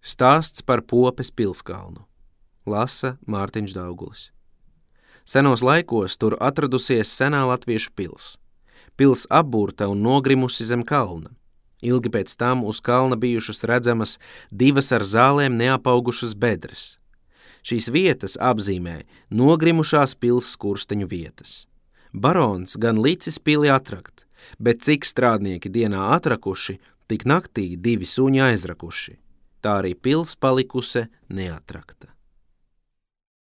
Stāsts par Popes pilskalnu. Lasa Mārtiņš Daugulis. Senos laikos tur atradusies senā latviešu pils. Pils apburta un nogrimusi zem kalna. Ilgi pēc tam uz kalna bijušas redzamas divas ar zālēm neapaugušas bedres. Šīs vietas apzīmē nogrimušās pils skursteņu vietas. Barons gan licis pili atrakt, bet cik strādnieki dienā atrakuši, tik naktī 2 suņi aizrakuši. Tā arī pils palikuse neatrakta.